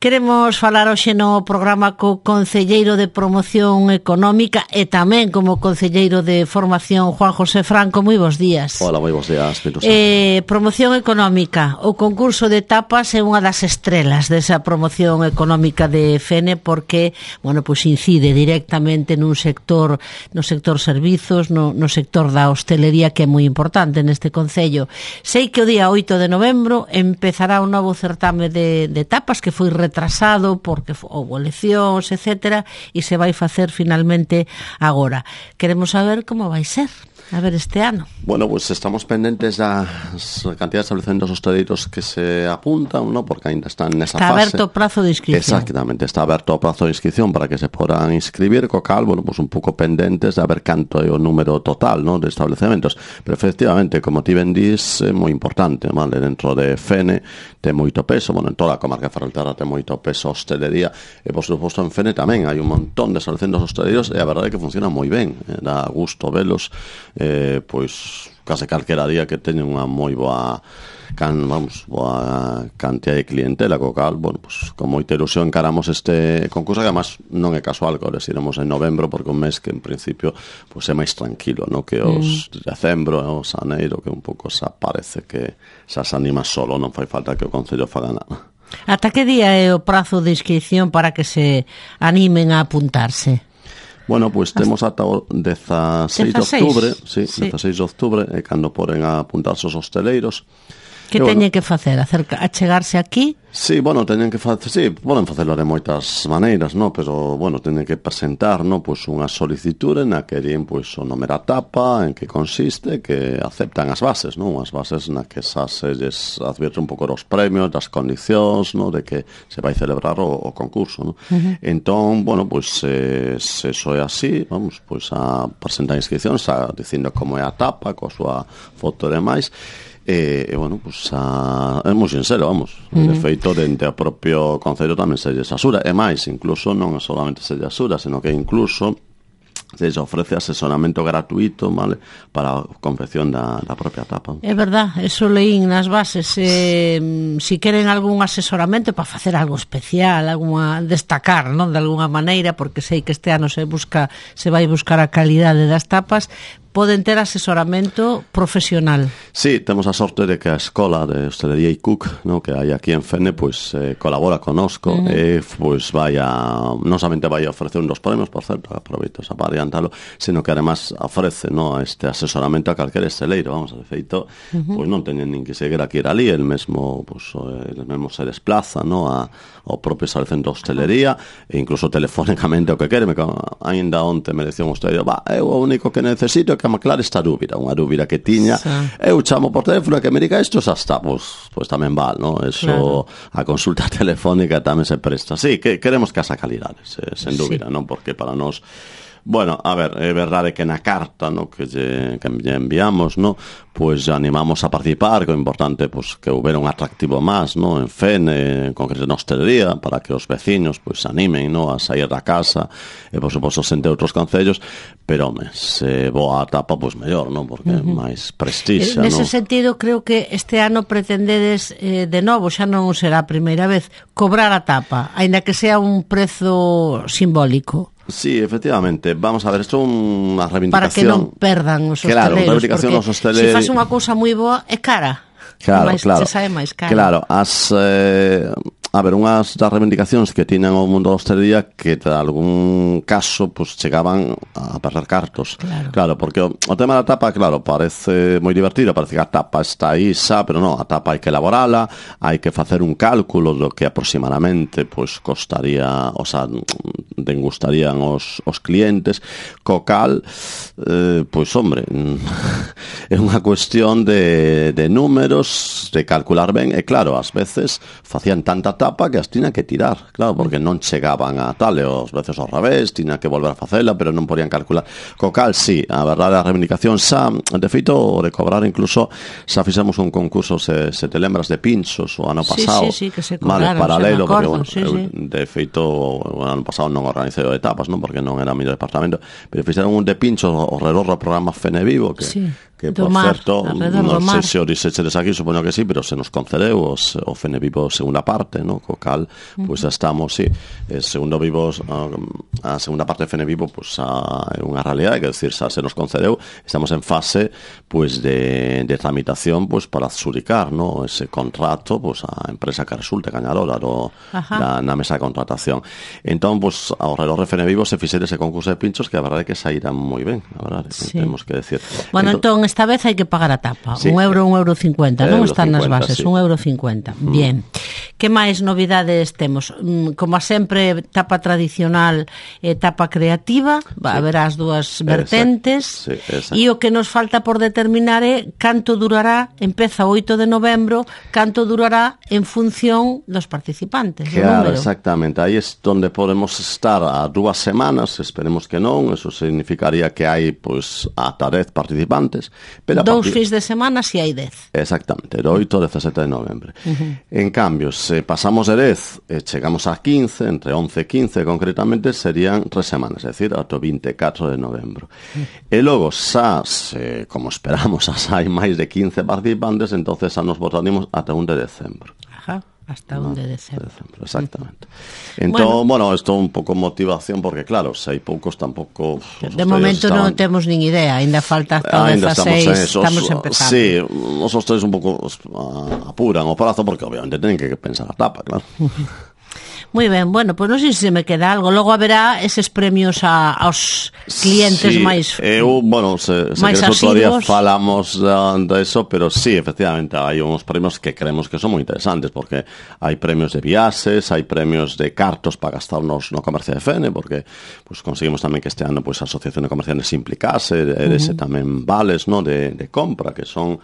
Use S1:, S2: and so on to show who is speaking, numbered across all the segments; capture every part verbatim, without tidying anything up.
S1: Queremos falar hoxe no programa co concelleiro de Promoción Económica e tamén como concelleiro de Formación, Juan José Franco. Moi bons días.
S2: Hola, moi bons días.
S1: Eh, promoción Económica. O concurso de tapas é unha das estrelas desa promoción económica de Fene porque, bueno, pois incide directamente nun sector, no sector servizos, no, no sector da hostelería, que é moi importante neste concello. Sei que o día oito de novembro empezará un novo certame de, de tapas que foi retrasado porque houve eleccións, etcétera, e se vai facer finalmente agora. Queremos saber como vai ser. A ver, este ano.
S2: Bueno, pues estamos pendentes das cantidades de establecimientos hosteleiros que se apuntan, ¿no? Porque ainda están nesa
S1: está
S2: fase.
S1: Está aberto o prazo de inscripción.
S2: Exactamente, está aberto o prazo de inscripción para que se podan inscribir, co cal, bueno, pues un pouco pendentes de ver canto é o número total, ¿no? De establecementos. Pero efectivamente, como ti ben dís, é moi importante, vale? Dentro de Fene ten moito peso, bueno, en toda a comarca de Ferrolterra ten moito peso a hostelería, e por suposto en Fene tamén hai un montón de establecimientos hosteleiros e a verdade é que funcionan moi ben, eh, dá gusto velos. Eh, pois case calquera día que teñen unha moi boa can, vamos, boa cantidad de clientela, co cal, bueno, pois con moita ilusión encaramos este concurso, que además non é casual que les iremos en novembro, porque un mes que en principio pois é máis tranquilo, no? Que os mm. decembro, os aneiro, que un pouco xa parece que xa se anima solo, non fai falta que o Concello faga nada.
S1: Ata que día é o prazo de inscripción para que se animen a apuntarse?
S2: Bueno, pois pues, temos ata o dezaseis de outubro, sí, sí. dezaseis de outubro, é cando poden a apuntarse os hosteleiros.
S1: Que
S2: e,
S1: teñen
S2: bueno,
S1: que facer? Acerca, a chegarse aquí?
S2: Sí, bueno, teñen que facer, sí, poden facelo de moitas maneiras, no, pero, bueno, teñen que presentar, no, pois unha solicitude na que din, pois, o nome da tapa, en que consiste, que aceptan as bases, no, as bases na que xa se lles advierte un pouco dos premios, das condicións, no, de que se vai celebrar o, o concurso, no. Uh-huh. Entón, bueno, pois, se, se eso é así, vamos, pois, a presentar inscripción, xa dicindo como é a tapa, coa súa foto e demais. E, e bueno, pues, a, é moi sincero, vamos. Uh-huh. De feito, dentro do propio Concello tamén se lles asura. E máis, incluso non solamente se lles asura, sino que incluso se lles ofrece asesoramento gratuito, vale, para a confección da, da propia tapa.
S1: É verdad, eso leín nas bases. Eh, si queren algún asesoramento para facer algo especial, alguna, destacar, non, de alguna maneira, porque sei que este ano se busca, se vai buscar a calidade das tapas, poden ter asesoramento profesional.
S2: Sí, temos a sorte de que a Escola de Hostelería e Cook, no, que hai aquí en Fene, pois eh, colabora conosco, uh-huh. e pois vai a, non somente vai a ofrecer un dos premios, por certo, aproveito esa para adiantalo, sino que además ofrece, no, este asesoramento a calquer esteleiro, vamos, de feito, uh-huh. pois non teñen nin que seguir aquí ir ali, el mesmo, pois, el mesmo se desplaza, no, a, ao propio establecemento de hostelería, e incluso telefónicamente o que quere, me, ainda onte me decía un hostelero, va, é o único que necesito é que me aclare esta dúbida, unha dúbida que tiña, sí. Eu chamo por teléfono que me diga isto, xa está, pois, pois tamén val, no? Eso, claro. A consulta telefónica tamén se presta. Sí, que queremos que asa calidade, se, sen dúbida, sí. Non? Porque para nós, bueno, a ver, é verdade que na carta, no, que lle, que lle enviamos, no, pois animamos a participar, que é importante, pois, que houbera un atractivo máis, no, en Fene, en concreto na hostelería, para que os veciños, pois, se animen, no, a sair da casa, e, por suposto, sente outros concellos, pero, home, se boa a tapa, pois, mellor, no, porque é uh-huh. máis prestixa, no.
S1: Nese sentido, creo que este ano pretendedes, eh, de novo, xa non será a primeira vez, cobrar a tapa, aínda que sea un prezo simbólico.
S2: Sí, efectivamente. Vamos a ver, isto é unha reivindicación...
S1: Para que non perdan os hosteleiros.
S2: Claro, reivindicación dos hosteleiros...
S1: Se faz unha cousa moi boa, é cara.
S2: Claro,
S1: máis,
S2: claro.
S1: Se sabe máis cara.
S2: Claro, as... Eh, a ver, unhas das reivindicacións que tiñan o mundo da hostelería que, de algún caso, pues, chegaban a perder cartos.
S1: Claro.
S2: Claro, porque o, o tema da tapa, claro, parece moi divertido, parece que a tapa está aí xa, pero non, a tapa hai que elaborala, hai que facer un cálculo do que aproximadamente, pues, costaría, o sea, dengustarían os, os clientes, co cal, eh, pois, hombre, é unha cuestión de, de números, de calcular ben, e claro, ás veces facían tanta tapa que as tiña que tirar, claro, porque non chegaban a tal, e os veces ao revés, tiña que volver a facela, pero non podían calcular. Co cal, sí, a verdade, a reivindicación xa, de feito, de cobrar incluso, xa fixemos un concurso, se, se te lembras, de pinchos o ano pasado,
S1: sí, sí, sí, que se cobraron,
S2: vale, paralelo,
S1: acordo,
S2: porque, bueno,
S1: sí,
S2: eu,
S1: sí.
S2: de feito, o ano pasado non organizei etapas, non, porque non era o meu departamento, pero fixeron un de pinchos ao redor do programa Fene Vivo, que, sí. que que,
S1: do
S2: por
S1: mar,
S2: certo, non sei se o dixechedes aquí, supoño que sí, pero se nos concedeu os, o Fene Vivo segunda parte, no? Co cal, pois pues, estamos, sí, eh, segundo vivos, a, a segunda parte de Fene Vivo, pois pues, é unha realidade, que decir, xa se nos concedeu, estamos en fase, pois, pues, de, de tramitación, pois, pues, para adxudicar, no? Ese contrato, pois, pues, a empresa que resulte gañadora do, da, na mesa de contratación. Entón, pois, pues, ao redor de Fene Vivo se fixera ese concurso de pinchos que a verdade é que saíra moi ben, a verdade, sí. Temos que decir.
S1: Bueno, entón, entón esta vez hai que pagar a tapa, sí, un euro, un euro cincuenta, non están nas bases, sí. un euro cincuenta. Mm. Bien. Que máis novidades temos? Como a sempre, tapa tradicional e tapa creativa, va, sí. haberá as dúas vertentes, sí, e o que nos falta por determinar é canto durará, empeza o oito de novembro, canto durará en función dos participantes.
S2: Claro, exactamente, aí é onde podemos estar a dúas semanas, esperemos que non, eso significaría que hai, pois, ata dez participantes.
S1: Pero dous fins de semana si hai dez.
S2: Exactamente, do oito ao dezasete de novembro. Uh-huh. En cambio, se pasamos de dez e chegamos a quince, entre once e quince concretamente, serían tres semanas, é dicir, ata o vinte e catro de novembro. Uh-huh. E logo, xa, se, como esperamos, xa hai máis de quince participantes, entonces xa nos botaríamos ata un de decembro.
S1: Ajá. Hasta un no, de decembro.
S2: decembro. Exactamente. Entón, bueno, isto bueno, un pouco motivación, porque claro, se hai poucos tampouco...
S1: De momento estaban... non temos nin idea, ainda falta hasta o dezaseis, estamos, estamos empezando.
S2: Sí, os hosteiros un pouco apuran o prazo, porque obviamente tenen que pensar a tapa, claro.
S1: Moi ben, bueno, pois pues non sei se me queda algo. Logo haberá eses premios a, aos clientes
S2: sí,
S1: máis
S2: eu, bueno, se, se
S1: máis
S2: queres outro día falamos de eso, pero sí, efectivamente, hai uns premios que creemos que son moi interesantes, porque hai premios de viaxes, hai premios de cartos para gastarnos no comercio de Fene, porque pues, conseguimos tamén que este ano pues, a Asociación de Comerciantes se implicase, e dese uh-huh. tamén vales, no, de, de compra, que son...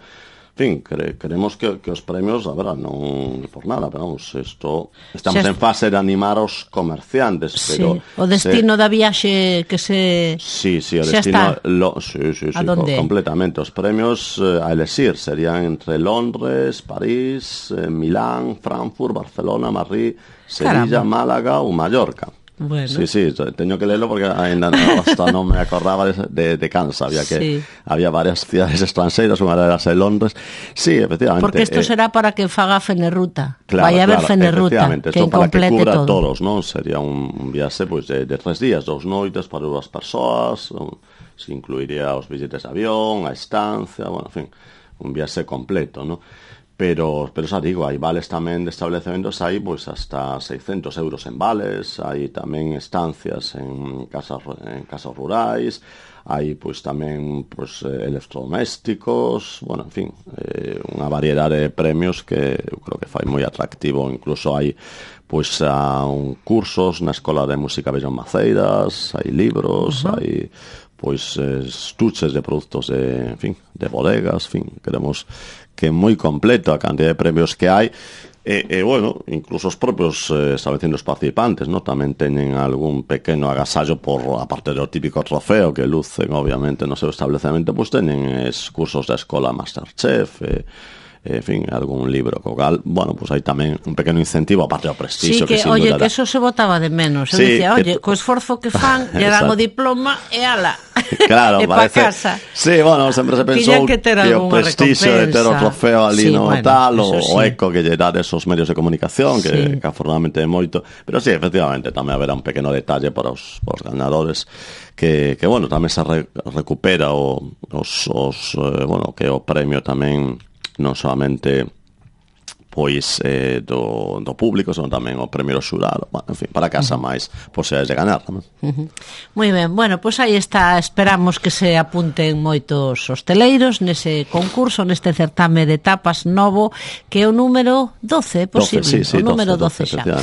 S2: En fin, cre, creemos que, que os premios, a ver, non por nada, pero vamos, esto, estamos en fase de animar os comerciantes, pero...
S1: Sí, o destino se, da viaxe que se...
S2: Sí, sí, o destino... Lo, sí, sí, sí, co, completamente. Os premios eh, a elexir serían entre Londres, París, eh, Milán, Frankfurt, Barcelona, Madrid, Sevilla, Caramba. Málaga ou Mallorca.
S1: Bueno.
S2: Sí, sí, teño que leerlo porque ainda no, hasta non me acordaba de, de, de Kansas, había que sí. había varias cidades extranxeiras, unha delas en Londres. Sí, efectivamente.
S1: Porque isto eh, será para que faga Fenerruta.
S2: Claro,
S1: vai haber
S2: claro,
S1: Fenerruta, que
S2: para que cubra
S1: todo.
S2: todos, non? Sería un viaxe pois pues, de, de tres días, dous noites para dúas persoas, se incluiría os billetes de avión, a estancia, bueno, en fin, un viaxe completo, non? Pero, pero xa digo, hai vales tamén de establecementos, hai pois hasta seiscentos euros en vales, hai tamén estancias en casas, en casas rurais, hai pois tamén pois, electrodomésticos, bueno, en fin, eh, unha variedade de premios que eu creo que fai moi atractivo, incluso hai pois a, un cursos na Escola de Música Bellón Maceiras, hai libros, uh-huh. hai pois estuches de produtos de, en fin, de bodegas, en fin, queremos que é moi completo a cantidad de premios que hai e, e bueno, incluso os propios eh, establecimentos participantes, ¿no? Tamén teñen algún pequeno agasallo por, aparte do típico trofeo que lucen obviamente no seu establecemento, pois teñen es cursos da escola Masterchef, e en fin, algún libro co cal, bueno, pues hai tamén un pequeno incentivo aparte do prestigio
S1: sí, que,
S2: que
S1: oye,
S2: durará.
S1: Que eso se botaba de menos. Eu
S2: sí,
S1: dicía, oye,
S2: que...
S1: co esforzo que fan, lle dan o diploma e ala.
S2: Claro,
S1: e
S2: parece.
S1: Pa casa.
S2: Sí, bueno, sempre se pensou que, que o prestigio de ter o trofeo ali sí, no bueno, tal, o, sí. o eco que lle dá esos medios de comunicación, que, sí. que afortunadamente é moito, pero sí, efectivamente, tamén haberá un pequeno detalle para os, para os ganadores que, que bueno, tamén se re, recupera o, os, os eh, bueno, que o premio tamén non solamente pois eh, do, do público, son tamén o premio xurado, bueno, en fin, para casa uh-huh. máis posibilidades de ganar tamén.
S1: Uh-huh. Moi ben, bueno, pois pues aí está, esperamos que se apunten moitos hosteleiros nese concurso, neste certame de tapas novo, que é o número doce, é posible,
S2: doce, sí, sí,
S1: o número
S2: doce,
S1: doce, doce xa.